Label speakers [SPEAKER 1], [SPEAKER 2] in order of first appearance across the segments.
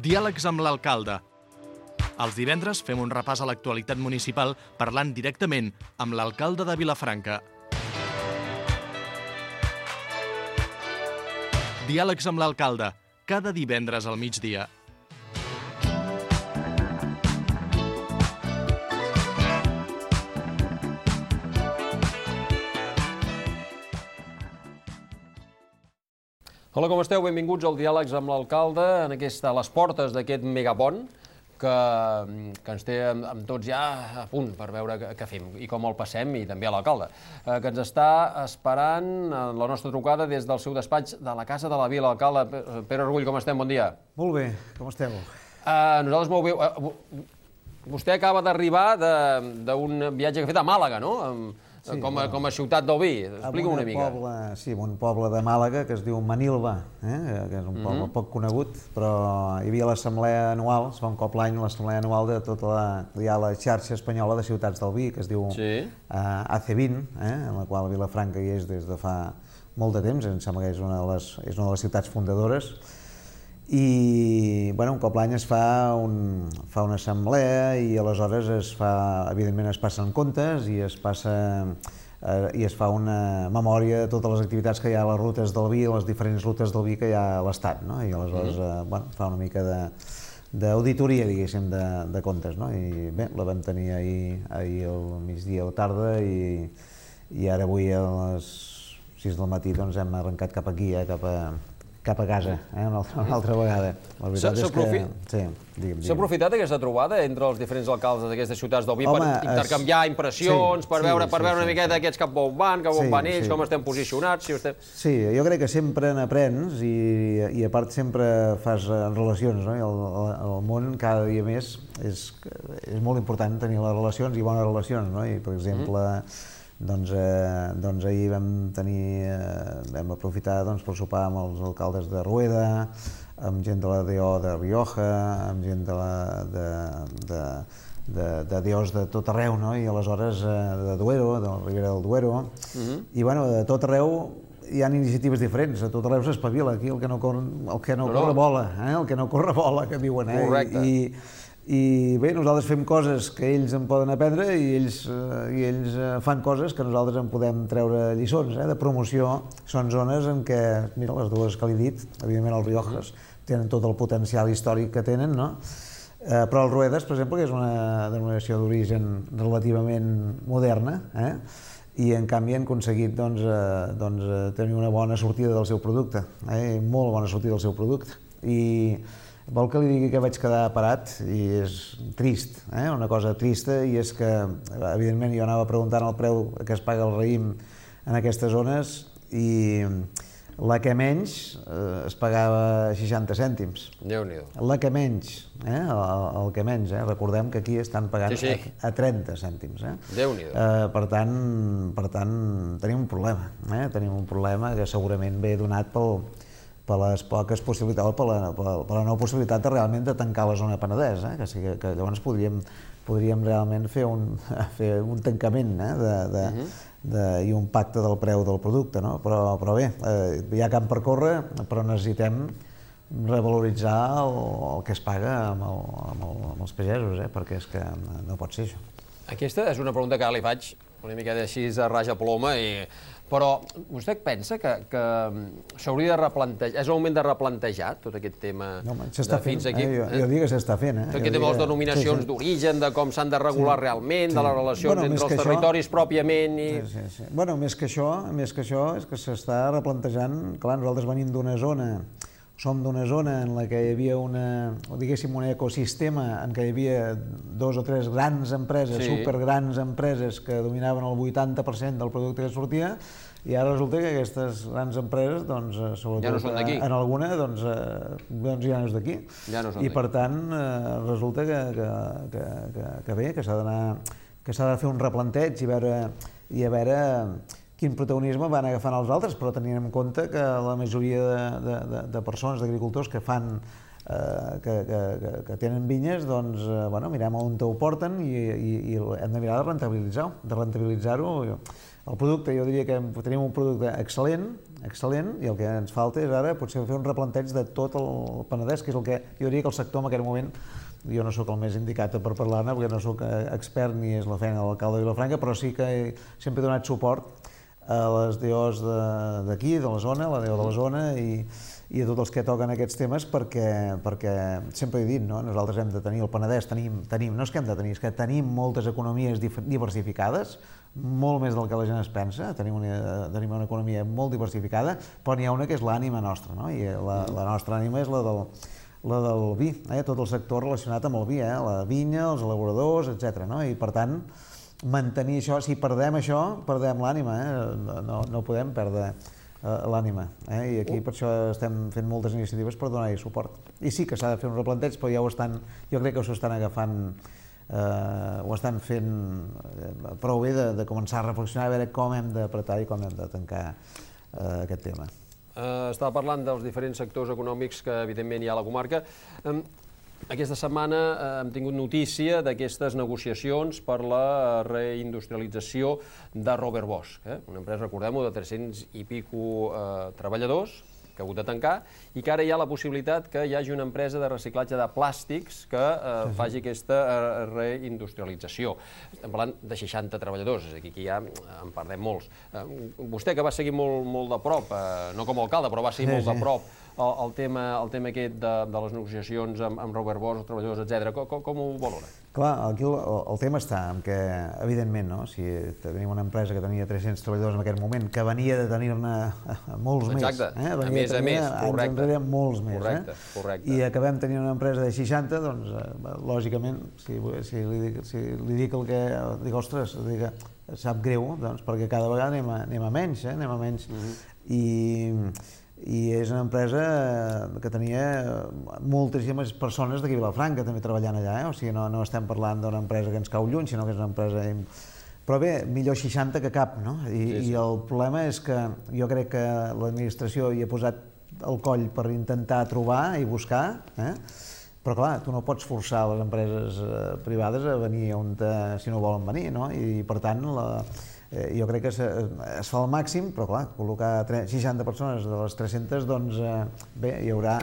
[SPEAKER 1] Diàlegs amb l'alcalde. Els divendres fem un repàs a l'actualitat municipal parlant directament amb l'alcalde de Vilafranca. Diàlegs amb l'alcalde, cada divendres al migdia.
[SPEAKER 2] Hola, com esteu? Benvinguts al Diàlegs amb l'alcalde, a les portes d'aquest megapont que ens té amb tots ja a punt per veure què fem i com el passem, i també a l'alcalde, que ens està esperant la nostra trucada des del seu despatx de la Casa de la Vila. Alcalde Pere Orgull, com estem? Bon dia.
[SPEAKER 3] Molt bé, com esteu?
[SPEAKER 2] Nosaltres molt bé. Vostè acaba d'arribar d'un viatge que ha fet a Màlaga, no? Sí, com a ciutat del vi. Explica una mica.
[SPEAKER 3] Sí, un poble de Màlaga que es diu Manilva, que és un poble poc conegut, però hi havia l'assemblea anual, es fa un cop l'any, l'assemblea anual de tota la xarxa espanyola de ciutats del vi, que es diu AC20, en la qual Vilafranca hi és des de fa molt de temps, em sembla que és una de les ciutats fundadores. I un cop l'any es fa una assemblea i aleshores evidentment es passen comptes i es fa una memòria de totes les activitats que hi ha a les rutes del vi, les diferents rutes del vi que hi ha a l'Estat, i aleshores fa una mica d'auditoria, diguéssim, de comptes. I bé, la vam tenir ahir al migdia o tarda i ara avui a les 6 del matí hem arrencat cap aquí, cap a casa, una altra vegada.
[SPEAKER 2] S'ha aprofitat aquesta trobada entre els diferents alcaldes d'aquestes ciutats del vi per intercanviar impressions, per veure una miqueta aquests cap on van ells, com estem posicionats?
[SPEAKER 3] Sí, jo crec que sempre n'aprens i a part sempre fas relacions. El món cada dia més és molt important tenir les relacions i bones relacions. I per exemple, ahir vam aprofitar per sopar amb els alcaldes de Rueda, amb gent de la DO de Rioja, amb gent de DOs de tot arreu, i aleshores de Duero, de la Ribera del Duero, i de tot arreu hi ha iniciatives diferents, a tot arreu s'espavila, aquí el que no corre vola, que diuen.
[SPEAKER 2] Correcte.
[SPEAKER 3] I bé, nosaltres fem coses que ells en poden aprendre i ells fan coses que nosaltres en podem treure lliçons de promoció. Són zones en què, mira, les dues que li he dit, evidentment els Riojas tenen tot el potencial històric que tenen, però el Ruedas, per exemple, que és una denominació d'origen relativament moderna, i en canvi han aconseguit tenir una bona sortida del seu producte, molt bona sortida del seu producte. I vol que li digui que vaig quedar parat, i és trist, una cosa trista, i és que, evidentment, jo anava preguntant el preu que es paga el raïm en aquestes zones, i la que menys es pagava 60 cèntims.
[SPEAKER 2] Déu-n'hi-do.
[SPEAKER 3] La que menys, el que menys, recordem que aquí estan pagant a 30 cèntims.
[SPEAKER 2] Déu-n'hi-do.
[SPEAKER 3] Per tant, tenim un problema que segurament ve donat per les poques possibilitats, per la no possibilitat realment de tancar la zona Penedès, que llavors podríem realment fer un tancament i un pacte del preu del producte, però bé, hi ha camp per córrer, però necessitem revaloritzar el que es paga amb els pagesos, perquè és que no pot ser això.
[SPEAKER 2] Aquesta és una pregunta que ara li faig una mica així a raja ploma, però vostè pensa que s'hauria de replantejar, és el moment de replantejar tot aquest tema
[SPEAKER 3] de fins aquí? Jo dic que s'està fent.
[SPEAKER 2] Tot aquest tema de les denominacions d'origen, de com s'han de regular realment, de les relacions entre els territoris pròpiament...
[SPEAKER 3] Bueno, més que això és que s'està replantejant, clar, nosaltres venim d'una zona, som d'una zona en la que hi havia un ecosistema en què hi havia 2 o 3 grans empreses, supergrans empreses que dominaven el 80% del producte que sortia, i ara resulta que aquestes grans empreses, sobretot en alguna, ja no és d'aquí. I per tant, resulta que bé, que s'ha de fer un replanteig i a veure quin protagonisme van agafant els altres, però tenint en compte que la majoria de persones, d'agricultors que tenen vinyes, mirem on ho porten i hem de mirar de rentabilitzar-ho. El producte, jo diria que tenim un producte excel·lent, excel·lent, i el que ens falta és ara potser fer un replanteig de tot el Penedès, que és el que jo diria que el sector en aquest moment, jo no sóc el més indicat per parlar-ne, perquè no sóc expert ni és la feina de l'alcalde de Vilafranca, però sí que sempre he donat suport a les DOs d'aquí, de la zona, la DO de la zona, i a tots els que toquen aquests temes, perquè sempre he dit, no? Nosaltres hem de tenir el Penedès, no és que hem de tenir, és que tenim moltes economies diversificades, molt més del que la gent es pensa, tenim una economia molt diversificada, però n'hi ha una que és l'ànima nostra, no? I la nostra ànima és la del vi, tot el sector relacionat amb el vi, la vinya, els elaboradors, etc. I per tant, mantenir això, si perdem això, perdem l'ànima, no podem perdre l'ànima, i aquí per això estem fent moltes iniciatives per donar-hi suport. I sí que s'ha de fer un replanteig, però ja jo crec que s'ho estan agafant, ho estan fent prou bé de començar a reflexionar, a veure com hem d'apretar i com hem de tancar aquest tema.
[SPEAKER 2] Estava parlant dels diferents sectors econòmics que evidentment hi ha a la comarca. Aquesta setmana hem tingut notícia d'aquestes negociacions per la reindustrialització de Robert Bosch, una empresa, recordem-ho, de 300 i pico treballadors, que ha hagut de tancar, i que ara hi ha la possibilitat que hi hagi una empresa de reciclatge de plàstics que faci aquesta reindustrialització. Estem parlant de 60 treballadors, és a dir, aquí ja en perdem molts. Vostè, que va seguir molt de prop, no com a alcalde, però va seguir molt de prop el tema aquest de les negociacions amb Robert Bosch, els treballadors, etc. Com ho valora?
[SPEAKER 3] Clar, aquí el tema està en què, evidentment, si tenim una empresa que tenia 300 treballadors en aquest moment, que venia de tenir-ne molts més.
[SPEAKER 2] Exacte, a més,
[SPEAKER 3] correcte. Molts més.
[SPEAKER 2] Correcte.
[SPEAKER 3] I acabem tenint una empresa de 60, doncs, lògicament, si li dic el que... Dic, ostres, sap greu, doncs, perquè cada vegada anem a menys, i és una empresa que tenia moltíssimes persones d'aquí a Vilafranca també treballant allà, o sigui, no estem parlant d'una empresa que ens cau lluny, sinó que és una empresa... Però bé, millor 60 que cap, no? I el problema és que jo crec que l'administració hi ha posat el coll per intentar trobar i buscar, però clar, tu no pots forçar les empreses privades a venir si no volen venir, no? I per tant, jo crec que es fa el màxim, però clar, col·locar 60 persones de les 300, doncs bé, hi haurà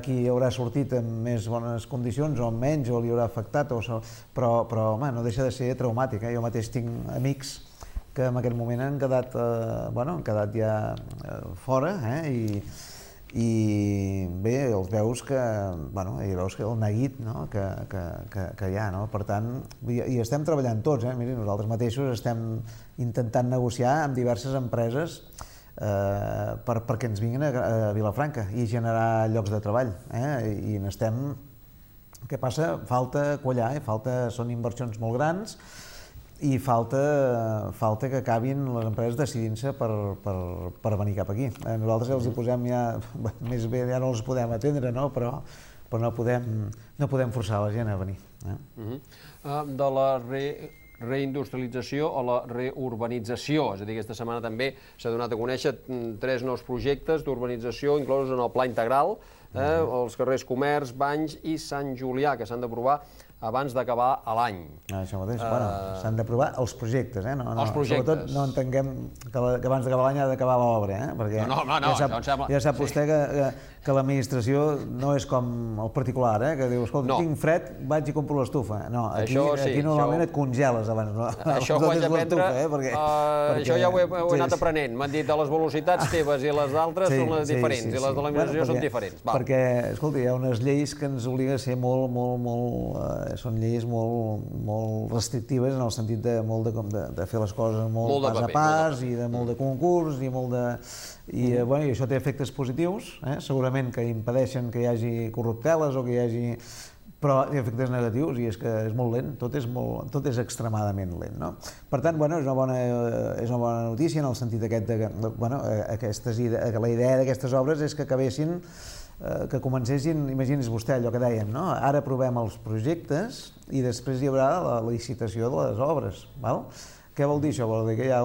[SPEAKER 3] qui haurà sortit en més bones condicions o en menys, o li haurà afectat, però home, no deixa de ser traumàtic. Jo mateix tinc amics que en aquest moment han quedat ja fora, i bé, els veus que el neguit que hi ha, no? Per tant, i estem treballant tots, miri, nosaltres mateixos estem intentant negociar amb diverses empreses perquè ens vinguin a Vilafranca i generar llocs de treball, i n'estem... Què passa? Falta quallar, són inversions molt grans, i falta que acabin les empreses decidint-se per venir cap aquí. Nosaltres els hi posem ja, més bé ja no els podem atendre, però no podem forçar la gent a venir.
[SPEAKER 2] De la reindustrialització o la reurbanització, és a dir, aquesta setmana també s'ha donat a conèixer 3 nous projectes d'urbanització inclosos en el Pla Integral, els carrers Comerç, Banys i Sant Julià, que s'han d'aprovar abans d'acabar l'any.
[SPEAKER 3] Això mateix, s'han d'aprovar els projectes,
[SPEAKER 2] Els projectes.
[SPEAKER 3] Sobretot no entenguem que abans d'acabar l'any ha d'acabar l'obra, perquè ja sap vostè que l'administració no és com el particular, que diu, escolta, tinc fred, vaig i compro l'estufa. No, aquí normalment et congeles abans.
[SPEAKER 2] Això ho haig d'aprendre, això ja ho he anat aprenent. M'han dit, les velocitats teves i les d'altres són les diferents, i les de l'administració són diferents.
[SPEAKER 3] Perquè, escolta, hi ha unes lleis que ens obliguen a ser són lleis molt restrictives en el sentit de fer les coses molt pas a pas i de molt de concurs i molt de... I això té efectes positius, segurament que impedeixen que hi hagi corrupteles o que hi hagi... però té efectes negatius i és que és molt lent, tot és extremadament lent, no? Per tant, és una bona notícia en el sentit aquest que la idea d'aquestes obres és que acabessin que comencessin, imagini's vostè allò que deien, no? Ara aprovem els projectes i després hi haurà la licitació de les obres, val? Què vol dir això? Vol dir que hi ha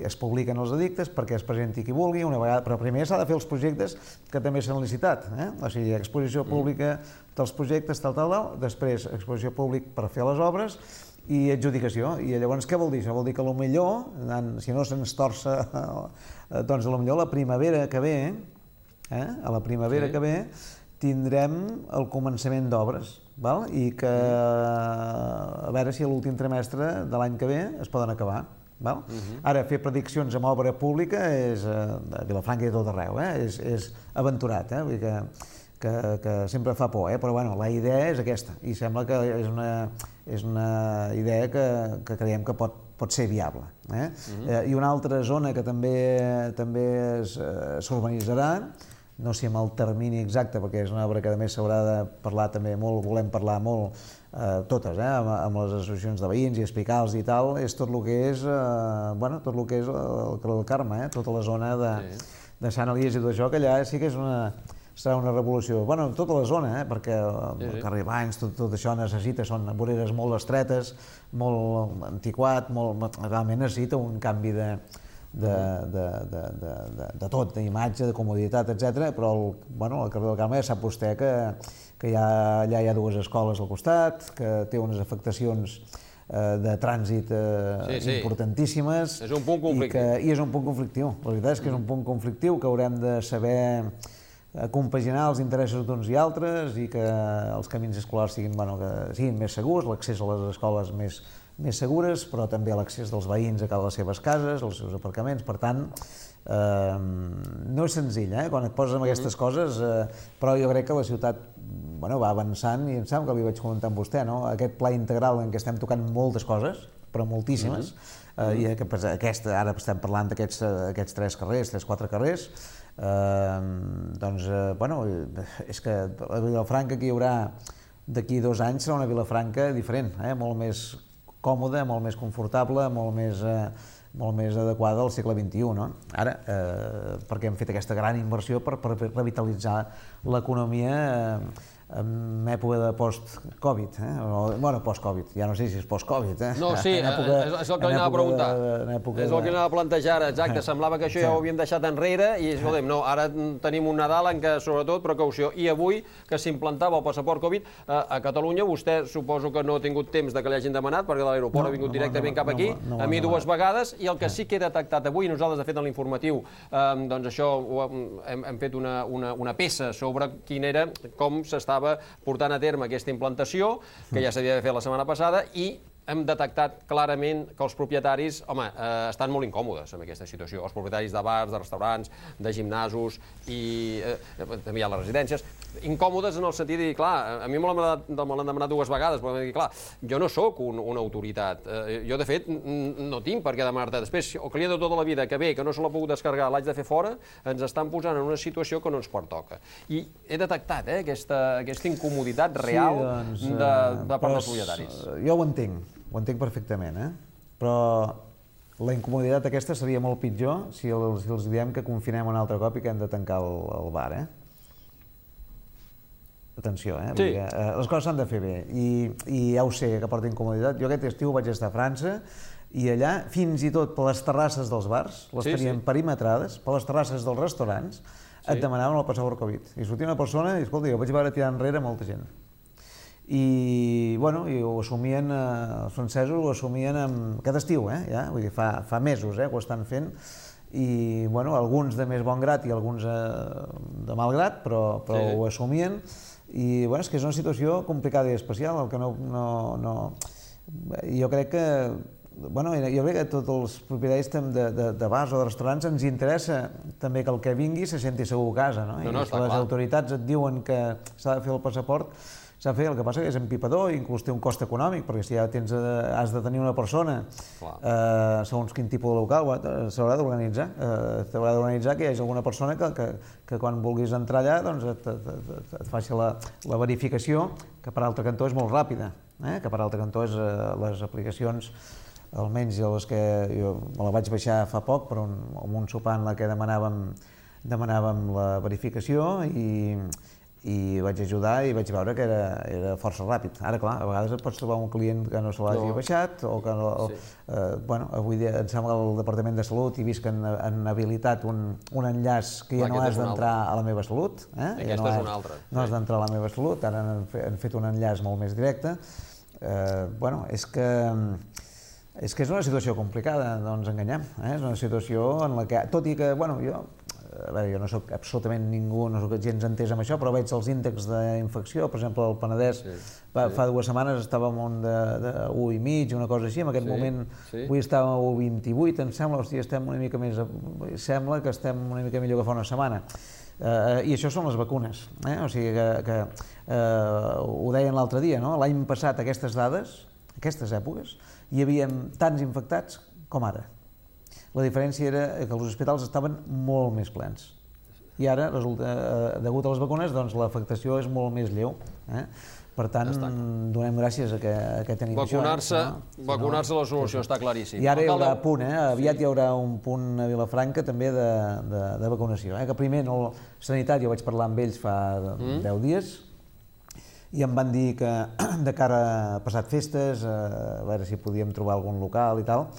[SPEAKER 3] es publiquen els edictes perquè es presenti qui vulgui, però primer s'ha de fer els projectes que també s'han licitat, o sigui, exposició pública dels projectes, tal, després exposició pública per fer les obres i adjudicació. I llavors què vol dir? Això vol dir que potser, si no se'ns torça, doncs potser la primavera que ve, a la primavera que ve, tindrem el començament d'obres, i que a veure si a l'últim trimestre de l'any que ve es poden acabar. Ara, fer prediccions amb obra pública a Vilafranca i a tot arreu, és aventurat, vull dir que sempre fa por, però bueno, la idea és aquesta i sembla que és una idea que creiem que pot ser viable. I una altra zona que també s'urbanitzarà, no sé amb el termini exacte, perquè és una obra que a més s'haurà de parlar també molt, volem parlar molt, totes, amb les associacions de veïns i explicar-los i tal, és tot el que és el Carrer del Carme, tota la zona de Sant Elies i tot això, que allà sí que serà una revolució. Bueno, tota la zona, perquè el carrer Banys, tot això necessita, són voreres molt estretes, molt antiquat, realment necessita un canvi de tot, d'imatge, de comoditat, etc. Però al carrer del Carme ja sap vostè que allà hi ha dues escoles al costat, que té unes afectacions de trànsit importantíssimes.
[SPEAKER 2] És un punt conflictiu.
[SPEAKER 3] I és un punt conflictiu. La veritat és que és un punt conflictiu que haurem de saber compaginar els interessos d'uns i altres i que els camins escolars siguin més segurs, l'accés a les escoles més segures, però també l'accés dels veïns a les seves cases, als seus aparcaments. Per tant, no és senzill, quan et poses amb aquestes coses, però jo crec que la ciutat va avançant i em sembla que li vaig comentar amb vostè, aquest pla integral en què estem tocant moltes coses, però moltíssimes, i ara estem parlant d'aquests 3-4 carrers, doncs, és que a Vilafranca que hi haurà d'aquí 2 anys serà una Vilafranca diferent, molt més còmoda, molt més confortable, molt més adequada al segle XXI. Ara, perquè hem fet aquesta gran inversió per revitalitzar l'economia en època de post-Covid, post-Covid, ja no sé si és post-Covid.
[SPEAKER 2] No, sí, és el que li anava a preguntar, és el que li anava a plantejar ara, exacte, semblava que això ja ho havíem deixat enrere i, escolta'm, no, ara tenim un Nadal en què, sobretot, precaució, i avui que s'implantava el passaport Covid a Catalunya, vostè suposo que no ha tingut temps de que li hagin demanat, perquè l'aeroport ha vingut directament cap aquí, a mi 2 vegades, i el que sí que he detectat avui, nosaltres, de fet, en l'informatiu, doncs això, hem fet una peça sobre com s'estava portant a terme aquesta implantació, que ja s'havia de fer la setmana passada, i hem detectat clarament que els propietaris, estan molt incòmodes amb aquesta situació. Els propietaris de bars, de restaurants, de gimnasos i també hi ha les residències, incòmodes en el sentit de dir, clar, a mi me l'han demanat 2 vegades, però m'han dit, clar, jo no sóc una autoritat. Jo, de fet, no tinc per què demanar-te. Després, el client de tota la vida que ve, que no se l'ha pogut descarregar, l'haig de fer fora, ens estan posant en una situació que no ens pertoca. I he detectat aquesta incomoditat real de part dels propietaris.
[SPEAKER 3] Jo ho entenc perfectament, però la incomoditat aquesta seria molt pitjor si els diem que confinem un altre cop i que hem de tancar el bar. Atenció, les coses s'han de fer bé i ja ho sé, que porta incomoditat. Jo aquest estiu vaig estar a França i allà, fins i tot per les terrasses dels bars, les tenien perimetrades, per les terrasses dels restaurants, et demanaven el passaport Covid. I sortia una persona i, escolta, jo vaig veure tirar enrere molta gent. I ho assumien, els francesos ho assumien aquest estiu, vull dir, fa mesos que ho estan fent, i alguns de més bon grat i alguns de mal grat, però ho assumien, i és que és una situació complicada i especial, el que jo crec que a tots els propietaris de bars o de restaurants ens interessa també que el que vingui se senti segur a casa, i si les autoritats et diuen que s'ha de fer el passaport, s'ha de fer. El que passa que és empipador i inclús té un cost econòmic, perquè si ja has de tenir una persona segons quin tipus de local, s'haurà d'organitzar. T'haurà d'organitzar que hi hagi alguna persona que quan vulguis entrar allà et faci la verificació, que per altre cantó és molt ràpida, que per altre cantó és les aplicacions, almenys les que jo me la vaig baixar fa poc, però en un sopar en què demanàvem la verificació i vaig ajudar i vaig veure que era força ràpid. Ara, clar, a vegades et pots trobar un client que no se l'hagi baixat o que avui dia em sembla que al Departament de Salut he vist que han habilitat un enllaç que ja no has d'entrar a la meva salut.
[SPEAKER 2] Aquesta és una altra.
[SPEAKER 3] No has d'entrar a la meva salut, ara han fet un enllaç molt més directe Bueno, és que és una situació complicada, no ens enganyem. És una situació en la que, tot i que, bueno, jo no soc absolutament ningú, no soc gens entès amb això, però veig els índexs d'infecció, per exemple, al Penedès, fa 2 setmanes estàvem un de 1,5, una cosa així, en aquest moment avui estàvem a 1,28, em sembla, estem una mica més, sembla que estem una mica millor que fa una setmana. I això són les vacunes, o sigui que ho deien l'altre dia, l'any passat aquestes dades, aquestes èpoques, hi havia tants infectats com ara. La diferència era que els hospitals estaven molt més plens. I ara, degut a les vacunes, l'afectació és molt més lleu. Per tant, donem gràcies a que tenim això.
[SPEAKER 2] Vacunar-se la solució, està claríssim.
[SPEAKER 3] I ara hi haurà punt, aviat hi haurà un punt a Vilafranca també de vacunació. Que primer, Sanitat, jo vaig parlar amb ells fa 10 dies, i em van dir que de cara a passat festes, a veure si podíem trobar algun local i tal,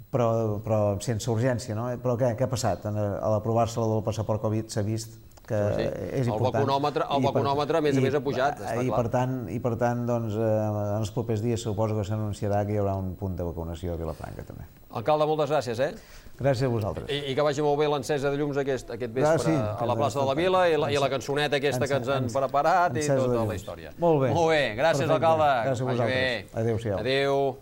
[SPEAKER 3] però sense urgència, no? Però què ha passat? A l'aprovar-se del passaport Covid s'ha vist que és important.
[SPEAKER 2] El vacunòmetre, a més ha pujat, està clar.
[SPEAKER 3] I per tant, doncs, en els propers dies suposo que s'anunciarà que hi haurà un punt de vacunació a Vilafranca, també.
[SPEAKER 2] Alcalde, moltes gràcies,
[SPEAKER 3] Gràcies a vosaltres.
[SPEAKER 2] I que vagi molt bé l'encesa de llums aquest vespre a la plaça de la Vila i la cançoneta aquesta que ens han preparat i tota la història.
[SPEAKER 3] Molt bé.
[SPEAKER 2] Molt bé, gràcies, alcalde.
[SPEAKER 3] Gràcies a vosaltres. Adéu-siau.
[SPEAKER 2] Adéu.